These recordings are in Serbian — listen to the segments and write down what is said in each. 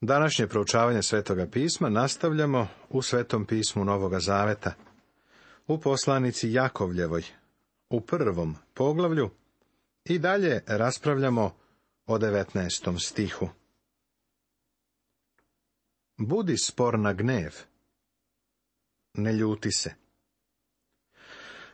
Današnje proučavanje Svetoga pisma nastavljamo u Svetom pismu Novoga Zaveta, u poslanici Jakovljevoj, u 1. poglavlju i dalje raspravljamo o 19. stihu. Budi spor na gnev, ne ljuti se.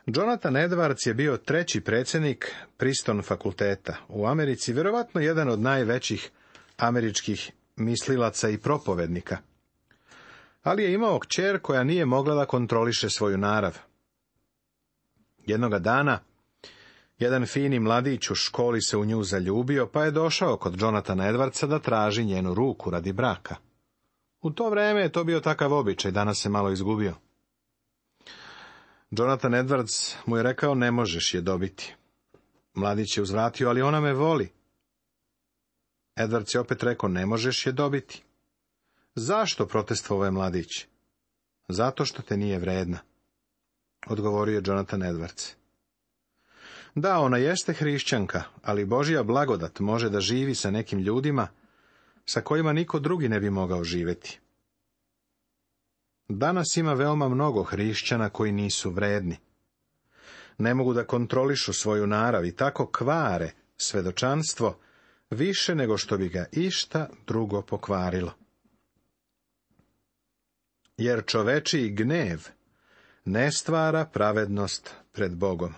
Jonathan Edwards je bio 3. predsjednik Princeton fakulteta u Americi, vjerovatno jedan od najvećih američkih mislilaca i propovednika. Ali je imao kćer koja nije mogla da kontroliše svoju narav. Jednoga dana, jedan fini mladić u školi se u nju zaljubio, pa je došao kod Jonathana Edwardsa da traži njenu ruku radi braka. U to vrijeme je to bio takav običaj, danas se malo izgubio. Jonathan Edwards mu je rekao, ne možeš je dobiti. Mladić je uzvratio, ali ona me voli. Edwards je opet rekao, ne možeš je dobiti. Zašto, protestvovao je mladić? Zato što te nije vredna, odgovorio je Jonathan Edwards. Da, ona jeste hrišćanka, ali Božja blagodat može da živi sa nekim ljudima sa kojima niko drugi ne bi mogao živjeti. Danas ima veoma mnogo hrišćana koji nisu vredni. Ne mogu da kontrolišu svoju narav i tako kvare svedočanstvo više nego što bi ga išta drugo pokvarilo. Jer čovečiji gnev ne stvara pravednost pred Bogom.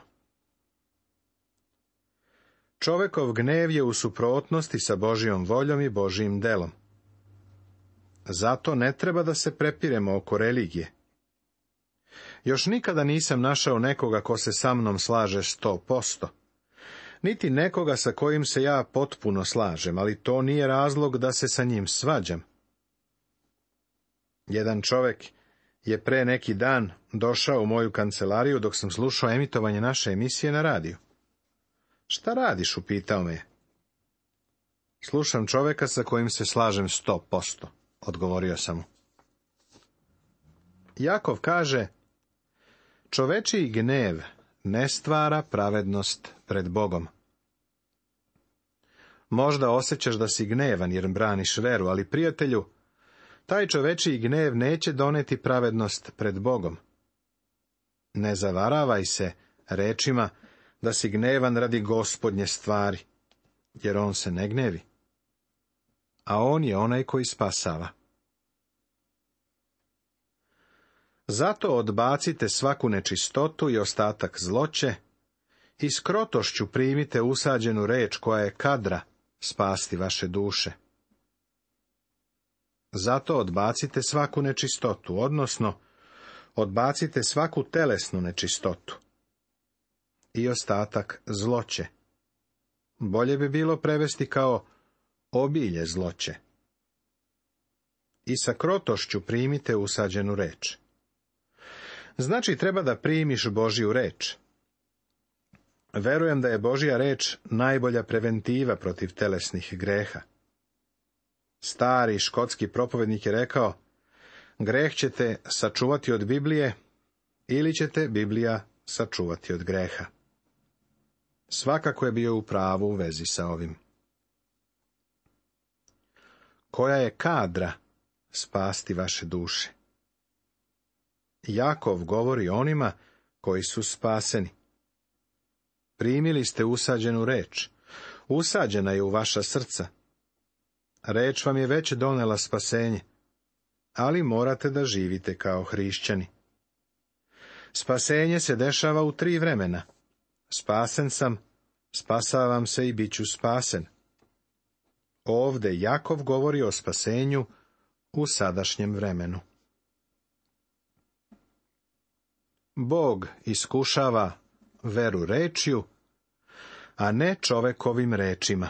Čovekov gnev je u suprotnosti sa Božjom voljom i Božjim delom. Zato ne treba da se prepiremo oko religije. Još nikada nisam našao nekoga ko se sa mnom slaže 100%. Niti nekoga sa kojim se ja potpuno slažem, ali to nije razlog da se sa njim svađam. Jedan čovek je pre neki dan došao u moju kancelariju dok sam slušao emitovanje naše emisije na radiju. Šta radiš, upitao me je. Slušam čoveka sa kojim se slažem 100%, odgovorio sam mu. Jakov kaže, čovečiji gnev ne stvara pravednost pred Bogom. Možda osjećaš da si gnevan jer braniš veru, ali prijatelju, taj čovečiji gnev neće doneti pravednost pred Bogom. Ne zavaravaj se rečima da si gnevan radi Gospodnje stvari, jer on se ne gnevi. A on je onaj koji spasava. Zato odbacite svaku nečistotu i ostatak zloće i s krotošću primite usađenu reč koja je kadra spasti vaše duše. Zato odbacite svaku nečistotu, odnosno odbacite svaku telesnu nečistotu i ostatak zloće. Bolje bi bilo prevesti kao obilje zloće. I sa krotošću primite usađenu reč. Znači, treba da primiš Božju reč. Verujem da je Božja reč najbolja preventiva protiv telesnih greha. Stari škotski propovednik je rekao, greh ćete sačuvati od Biblije ili ćete Biblija sačuvati od greha. Svakako je bio u pravu u vezi sa ovim. Koja je kadra spasti vaše duše? Jakov govori onima koji su spaseni. Primili ste usađenu reč. Usađena je u vaša srca. Reč vam je već donela spasenje, ali morate da živite kao hrišćani. Spasenje se dešava u 3 vremena. Spasen sam, spasavam se i bit ću spasen. Ovde Jakov govori o spasenju u sadašnjem vremenu. Bog iskušava veru rečju, a ne čovekovim rečima.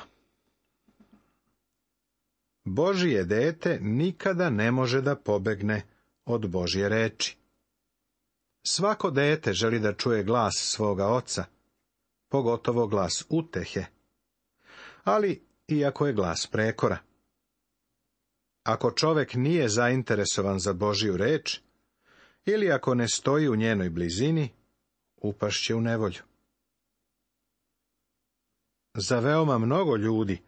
Božje dete nikada ne može da pobegne od Božje reči. Svako dete želi da čuje glas svoga oca, pogotovo glas utehe, ali iako je glas prekora. Ako čovek nije zainteresovan za Božju reč, ili ako ne stoji u njenoj blizini, upašće u nevolju. Za veoma mnogo ljudi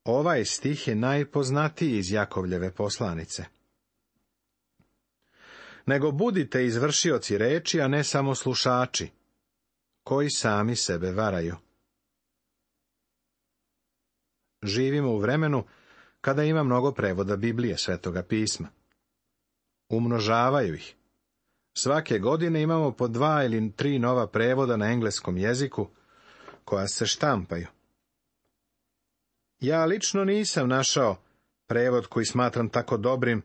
Ovaj stih je najpoznatiji iz Jakovljeve poslanice. Nego budite izvršioci reči, a ne samo slušači, koji sami sebe varaju. Živimo u vremenu kada ima mnogo prevoda Biblije, Svetoga pisma. Umnožavaju ih. Svake godine imamo po 2 ili 3 nova prevoda na engleskom jeziku, koja se štampaju. Ja lično nisam našao prevod koji smatram tako dobrim,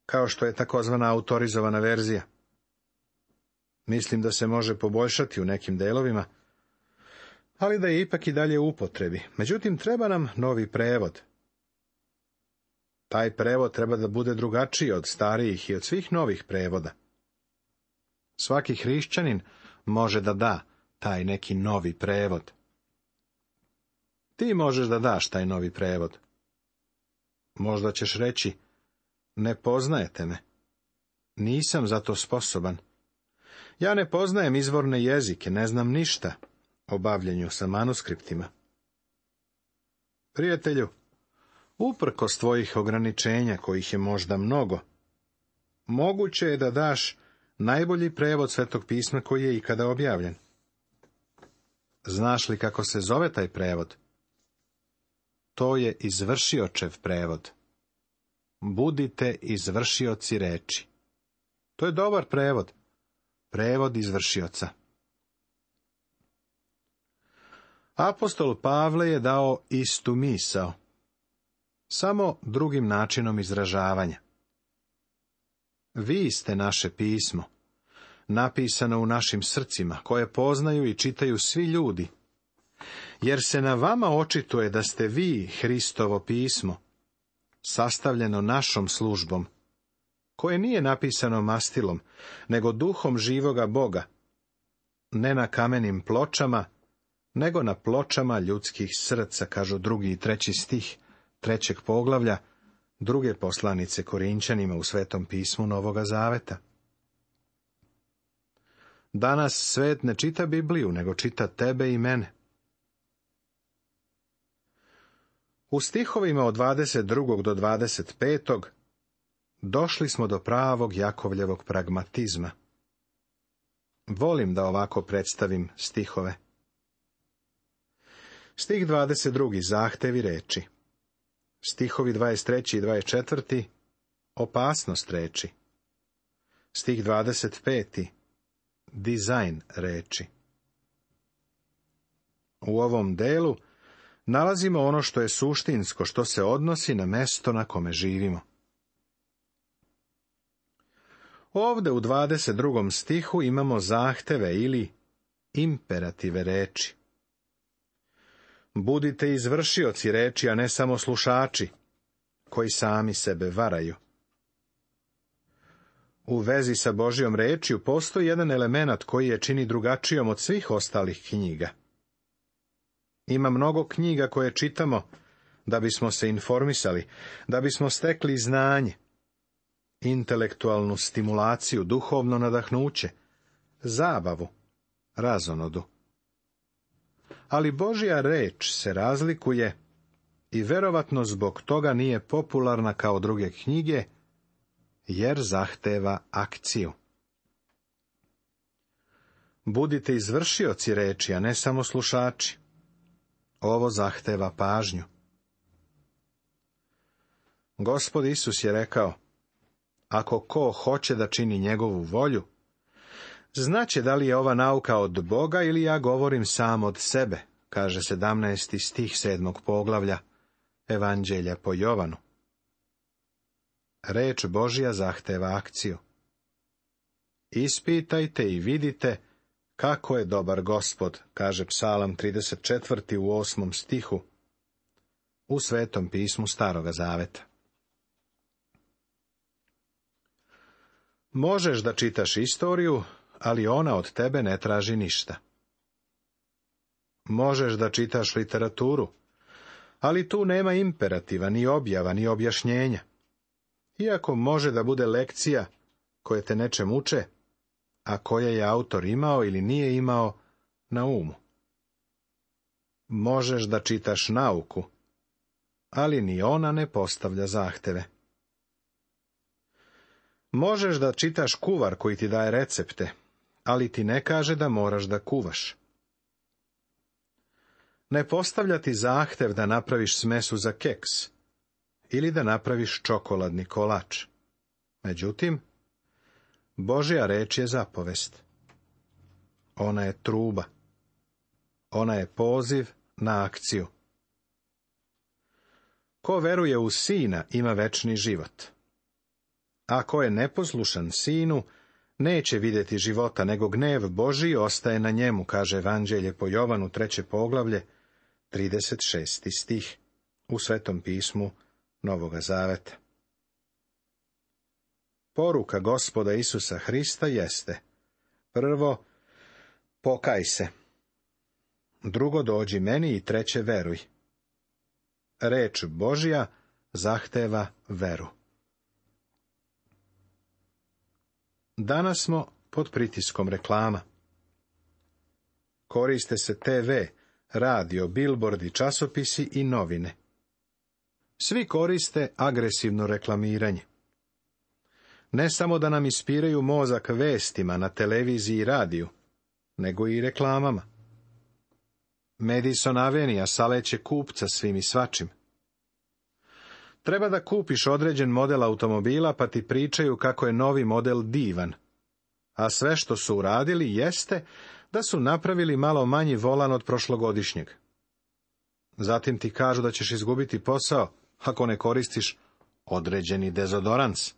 kao što je takozvana autorizovana verzija. Mislim da se može poboljšati u nekim delovima, ali da je ipak i dalje u upotrebi. Međutim, treba nam novi prevod. Taj prevod treba da bude drugačiji od starijih i od svih novih prevoda. Svaki hrišćanin može da da taj neki novi prevod. Ti možeš da daš taj novi prevod. Možda ćeš reći, ne poznajete me. Nisam za to sposoban. Ja ne poznajem izvorne jezike, ne znam ništa o bavljenju sa manuskriptima. Prijatelju, uprkos tvojih ograničenja, kojih je možda mnogo, moguće je da daš najbolji prevod Svetog pisma koji je ikada objavljen. Znaš li kako se zove taj prevod? To je izvršiočev prevod. Budite izvršioci reči. To je dobar prevod. Prevod izvršioca. Apostol Pavle je dao istu misao, samo drugim načinom izražavanja. Vi ste naše pismo, napisano u našim srcima, koje poznaju i čitaju svi ljudi, jer se na vama očituje da ste vi Hristovo pismo, sastavljeno našom službom, koje nije napisano mastilom, nego duhom živoga Boga, ne na kamenim pločama, nego na pločama ljudskih srca, kažu 2. i 3. stih 3. poglavlja 2. poslanice Korinćanima u Svetom pismu Novoga Zaveta. Danas svet ne čita Bibliju, nego čita tebe i mene. U stihovima od 22. do 25. došli smo do pravog Jakovljevog pragmatizma. Volim da ovako predstavim stihove. Stih 22. zahtevi reči. Stihovi 23. i 24. opasnost reči. Stih 25. dizajn reči. U ovom delu nalazimo ono što je suštinsko, što se odnosi na mesto na kome živimo. Ovde u 22. stihu imamo zahteve ili imperative reči. Budite izvršioci reči, a ne samo slušači, koji sami sebe varaju. U vezi sa Božjom rečju postoji jedan element koji je čini drugačijom od svih ostalih knjiga. Ima mnogo knjiga koje čitamo da bismo se informisali, da bismo stekli znanje, intelektualnu stimulaciju, duhovno nadahnuće, zabavu, razonodu. Ali Božja reč se razlikuje i verovatno zbog toga nije popularna kao druge knjige, jer zahteva akciju. Budite izvršioci reči, a ne samo slušači. Ovo zahteva pažnju. Gospod Isus je rekao, ako ko hoće da čini njegovu volju, znaće da li je ova nauka od Boga ili ja govorim sam od sebe, kaže 17. stih 7. poglavlja Evanđelja po Jovanu. Reč Božja zahteva akciju. Ispitajte i vidite kako je dobar Gospod, kaže Psalam 34. u 8. stihu u Svetom pismu Staroga Zaveta. Možeš da čitaš istoriju, ali ona od tebe ne traži ništa. Možeš da čitaš literaturu, ali tu nema imperativa, ni objava, ni objašnjenja. Iako može da bude lekcija koje te nečem uče, a koje je autor imao ili nije imao na umu. Možeš da čitaš nauku, ali ni ona ne postavlja zahteve. Možeš da čitaš kuvar koji ti daje recepte, ali ti ne kaže da moraš da kuvaš. Ne postavlja ti zahtev da napraviš smesu za keks ili da napraviš čokoladni kolač. Međutim, Božja reč je zapovest. Ona je truba. Ona je poziv na akciju. Ko veruje u Sina ima večni život. A ko je neposlušan Sinu, neće vidjeti života, nego gnev Božji ostaje na njemu, kaže Evanđelje po Jovanu 3. poglavlje, 36. stih u Svetom pismu Novoga Zaveta. Poruka Gospoda Isusa Hrista jeste: prvo, pokaj se. Drugo, dođi meni, i treće, veruj. Reč Božja zahteva veru. Danas smo pod pritiskom reklama. Koriste se TV, radio, bilbordi, časopisi i novine. Svi koriste agresivno reklamiranje. Ne samo da nam ispiraju mozak vestima na televiziji i radiju, nego i reklamama. Madison Avenue saleće kupca svim i svačim. Treba da kupiš određen model automobila, pa ti pričaju kako je novi model divan, a sve što su uradili jeste da su napravili malo manji volan od prošlogodišnjeg. Zatim ti kažu da ćeš izgubiti posao ako ne koristiš određeni dezodorans.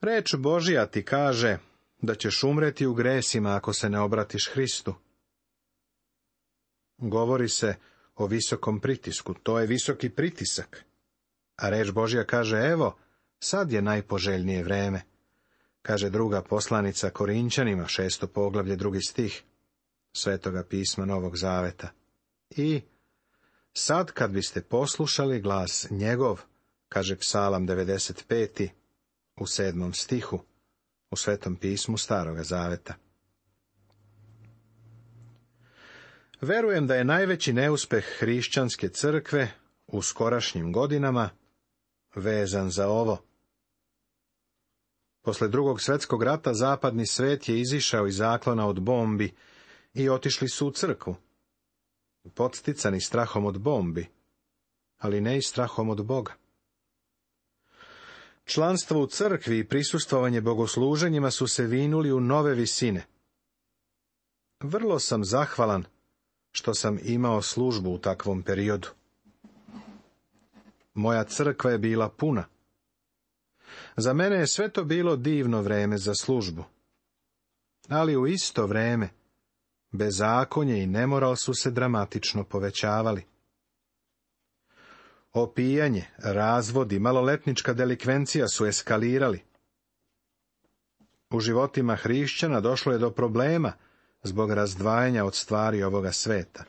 Reč Božja ti kaže da ćeš umreti u gresima ako se ne obratiš Hristu. Govori se o visokom pritisku, to je visoki pritisak. A reč Božja kaže: evo, sad je najpoželjnije vreme, kaže druga poslanica Korinćanima, 6. poglavlje, 2. stih Svetoga pisma Novog Zaveta. I sad kad biste poslušali glas njegov, kaže Psalam 95. u 7. stihu u Svetom pismu Staroga Zaveta. Verujem da je najveći neuspeh hrišćanske crkve u skorašnjim godinama vezan za ovo. Posle Drugog svjetskog rata zapadni svet je izišao iz zaklona od bombi i otišli su u crkvu, podsticani strahom od bombi, ali ne i strahom od Boga. Članstvo u crkvi i prisustvovanje bogosluženjima su se vinuli u nove visine. Vrlo sam zahvalan što sam imao službu u takvom periodu. Moja crkva je bila puna. Za mene je sve to bilo divno vreme za službu. Ali u isto vreme bezakonje i nemoral su se dramatično povećavali. Opijanje, razvodi, maloletnička delikvencija su eskalirali. U životima hrišćana došlo je do problema zbog razdvajanja od stvari ovoga sveta.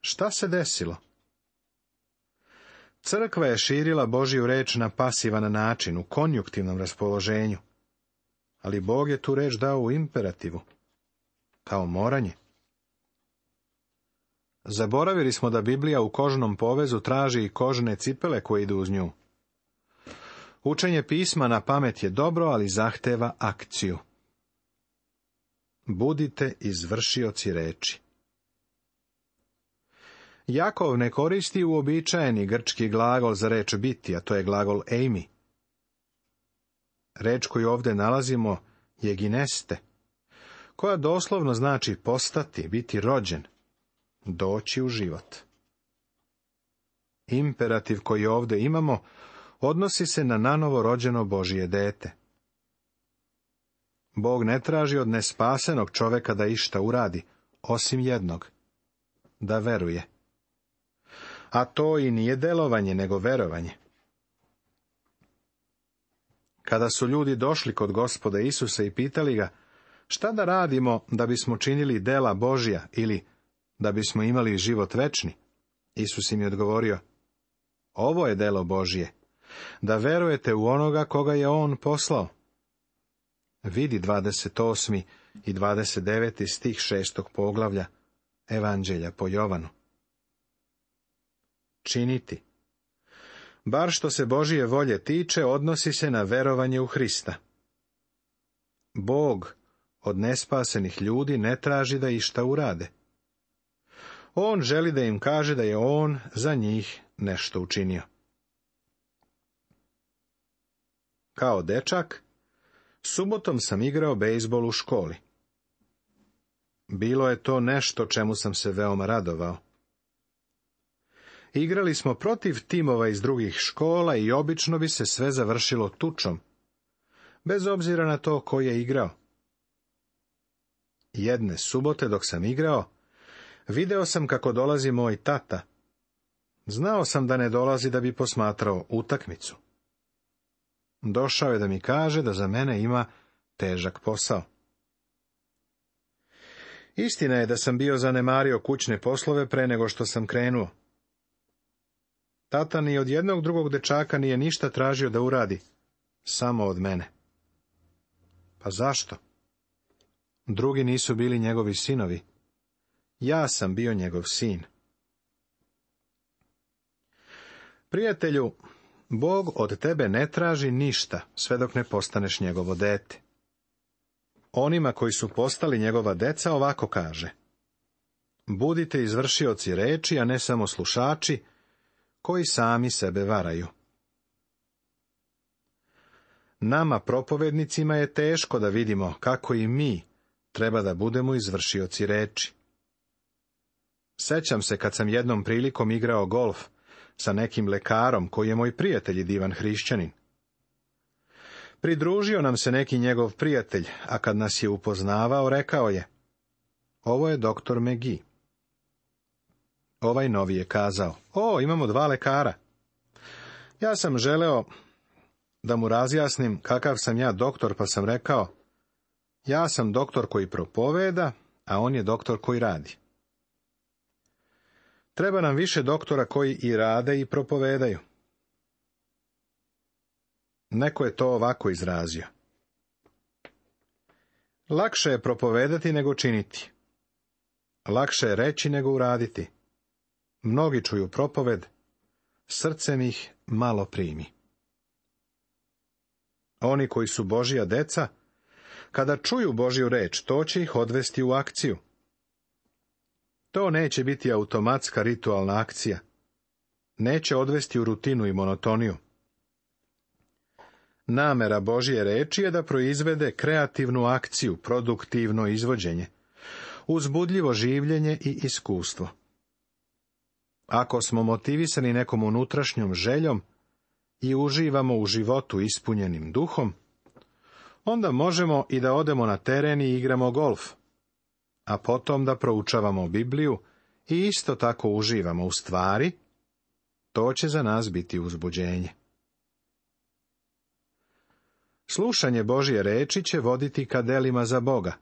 Šta se desilo? Crkva je širila Božju reč na pasivan način, u konjuktivnom raspoloženju, ali Bog je tu reč dao u imperativu, kao moranje. Zaboravili smo da Biblija u kožnom povezu traži i kožne cipele koje idu uz nju. Učenje pisma na pamet je dobro, ali zahteva akciju. Budite izvršioci reči. Jakov ne koristi uobičajeni grčki glagol za reč biti, a to je glagol eimi. Reč koju ovdje nalazimo je gineste, koja doslovno znači postati, biti rođen, doći u život. Imperativ koji ovdje imamo odnosi se na nanovo rođeno Božje dete. Bog ne traži od nespasenog čoveka da išta uradi, osim jednog, da veruje. A to i nije delovanje, nego verovanje. Kada su ljudi došli kod Gospoda Isusa i pitali ga: šta da radimo da bismo činili dela Božja ili da bismo imali život večni? Isus im je odgovorio: ovo je delo Božje, da verujete u onoga koga je on poslao. Vidi 28. i 29. stih 6. poglavlja Evanđelja po Jovanu. činiti. Bar što se Božije volje tiče, odnosi se na verovanje u Hrista. Bog od nespasenih ljudi ne traži da išta urade. On želi da im kaže da je on za njih nešto učinio. Kao dečak, subotom sam igrao bejzbol u školi. Bilo je to nešto čemu sam se veoma radovao. Igrali smo protiv timova iz drugih škola i obično bi se sve završilo tučom, bez obzira na to ko je igrao. Jedne subote dok sam igrao, video sam kako dolazi moj tata. Znao sam da ne dolazi da bi posmatrao utakmicu. Došao je da mi kaže da za mene ima težak posao. Istina je da sam bio zanemario kućne poslove pre nego što sam krenuo. Tata ni od jednog drugog dečaka nije ništa tražio da uradi, samo od mene. Pa zašto? Drugi nisu bili njegovi sinovi. Ja sam bio njegov sin. Prijatelju, Bog od tebe ne traži ništa, sve dok ne postaneš njegovo dete. Onima koji su postali njegova deca ovako kaže: budite izvršioci reči, a ne samo slušači, koji sami sebe varaju. Nama, propovednicima, je teško da vidimo kako i mi treba da budemo izvršioci reči. Sećam se kad sam jednom prilikom igrao golf sa nekim lekarom koji je moj prijatelj i divan hrišćanin. Pridružio nam se neki njegov prijatelj, a kad nas je upoznavao, rekao je: ovo je doktor McGee. Ovaj novi je kazao: o, imamo 2 lekara. Ja sam želeo da mu razjasnim kakav sam ja doktor, pa sam rekao: ja sam doktor koji propoveda, a on je doktor koji radi. Treba nam više doktora koji i rade i propovedaju. Neko je to ovako izrazio: lakše je propovedati nego činiti. Lakše je reći nego uraditi. Mnogi čuju propoved, srcem ih malo primi. Oni koji su Božja deca, kada čuju Božju reč, to će ih odvesti u akciju. To neće biti automatska ritualna akcija. Neće odvesti u rutinu i monotoniju. Namera Božje reči je da proizvede kreativnu akciju, produktivno izvođenje, uzbudljivo življenje i iskustvo. Ako smo motivisani nekom unutrašnjom željom i uživamo u životu ispunjenim duhom, onda možemo i da odemo na teren i igramo golf, a potom da proučavamo Bibliju i isto tako uživamo u stvari, to će za nas biti uzbuđenje. Slušanje Božje reči će voditi ka delima za Boga,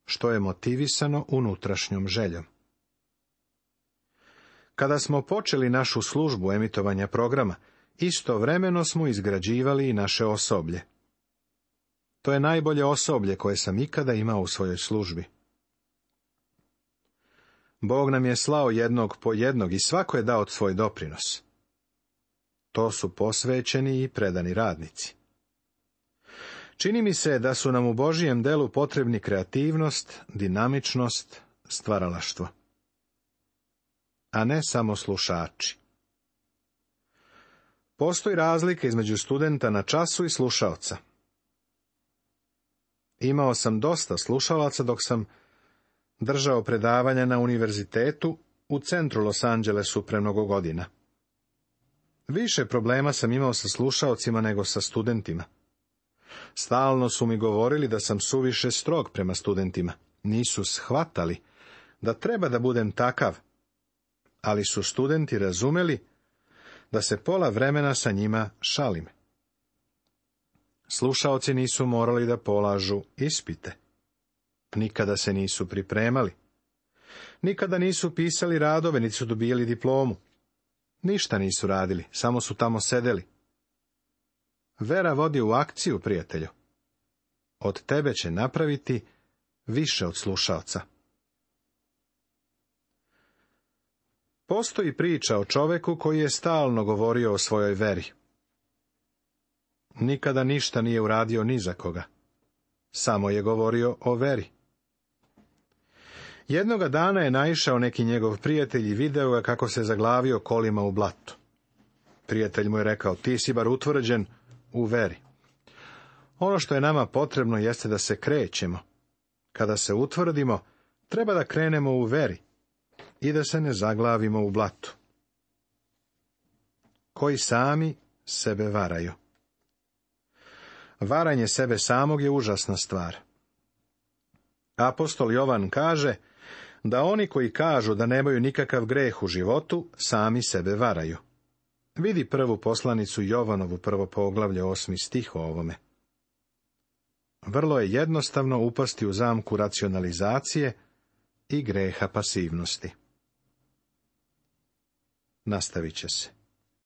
što je motivisano unutrašnjom željom. Kada smo počeli našu službu emitovanja programa, istovremeno smo izgrađivali i naše osoblje. To je najbolje osoblje koje sam ikada imao u svojoj službi. Bog nam je slao jednog po jednog i svako je dao svoj doprinos. To su posvećeni i predani radnici. Čini mi se da su nam u Božijem delu potrebni kreativnost, dinamičnost, stvaralaštvo, a ne samo slušači. Postoji razlika između studenta na času i slušaoca. Imao sam dosta slušalaca dok sam držao predavanja na univerzitetu u centru Los Angelesu pre mnogo godina. Više problema sam imao sa slušaocima nego sa studentima. Stalno su mi govorili da sam suviše strog prema studentima. Nisu shvatali da treba da budem takav, ali su studenti razumeli da se pola vremena sa njima šalim. Slušaoci nisu morali da polažu ispite. Nikada se nisu pripremali. Nikada nisu pisali radove, niti su dobijali diplomu. Ništa nisu radili, samo su tamo sedeli. Vera vodi u akciju, prijatelju. Od tebe će napraviti više od slušaoca. Postoji priča o čoveku koji je stalno govorio o svojoj veri. Nikada ništa nije uradio ni za koga. Samo je govorio o veri. Jednoga dana je naišao neki njegov prijatelj i video ga kako se zaglavio kolima u blatu. Prijatelj mu je rekao: ti si bar utvrđen u veri. Ono što je nama potrebno jeste da se krećemo. Kada se utvrdimo, treba da krenemo u veri i da se ne zaglavimo u blatu. Koji sami sebe varaju. Varanje sebe samog je užasna stvar. Apostol Jovan kaže da oni koji kažu da nemaju nikakav greh u životu, sami sebe varaju. Vidi prvu poslanicu Jovanovu, 1. poglavlje, 8. stih o ovome. Vrlo je jednostavno upasti u zamku racionalizacije i greha pasivnosti. Nastavit će se.